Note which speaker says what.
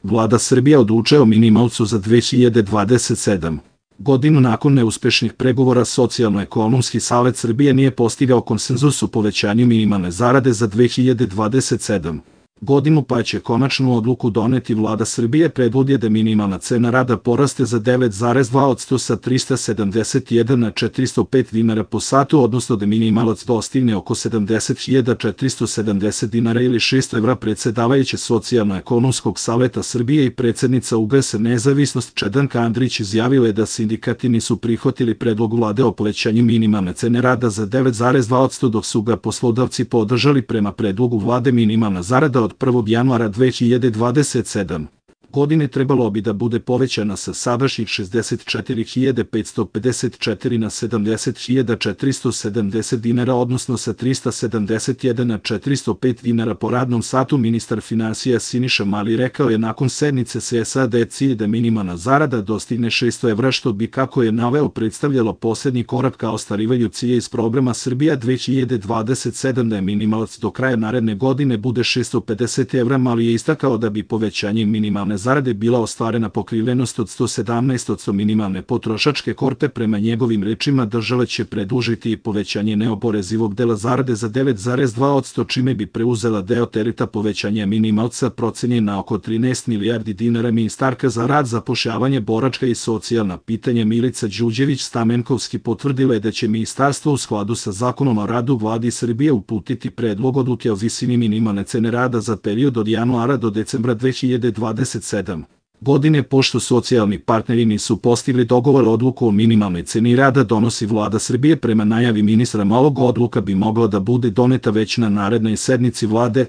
Speaker 1: Vlada Srbije odlučuje o minimalcu za 2027. godinu. Nakon neuspešnih pregovora Socijalno-ekonomski savet Srbije nije postigao konsenzus o povećanju minimalne zarade za 2027. godinu, pa će konačnu odluku doneti Vlada Srbije. Predlog je da minimalna cena rada poraste za 9,2% sa 371 na 405 dinara po satu, odnosno da minimalac dostigne oko 70.470 dinara ili 600 evra. Predsedavajuća Socijalno-ekonomskog saveta Srbije i predsednica UGS Nezavisnost Čedanka Andrić izjavila je da sindikati nisu prihvatili predlog Vlade o povećanju minimalne cene rada za 9,2%, dok su ga poslodavci podržali. Prema predlogu Vlade minimalna zarada od 1. januara 2027. godine trebalo bi da bude povećana sa sadašnjih 64.554 na 70.470 dinara, odnosno sa 371 na 405 dinara po radnom satu. Ministar finansija Siniša Mali rekao je nakon sednice SSA da je cilj da minimalna zarada dostigne 600 evra, što bi, kako je naveo, predstavljalo poslednji korak ka ostvarivanju cilja iz programa Srbija 2027, da je minimalac do kraja naredne godine bude 650 evra. Mali je istakao da bi povećanjem minimalne zarade bila ostvarena pokrivenost od 117% minimalne potrošačke korpe. Prema njegovim rečima, država će predložiti i povećanje neoporezivog dela zarade za 9,2%, čime bi preuzela deo tereta povećanja minimalca procenjen na oko 13 milijardi dinara. Ministarka za rad, zapošljavanje, boračka i socijalna pitanja Milica Đurđević-Stamenkovski potvrdila je da će ministarstvo u skladu sa Zakonom o radu Vladi Srbije uputiti predlog odluke o visini minimalne cene rada za period od januara do decembra 2027. godine. Pošto socijalni partneri nisu postigli dogovor, odluku o minimalnoj ceni rada donosi Vlada Srbije. Prema najavi ministra Malog, odluka bi mogla da bude doneta već na narednoj sednici Vlade.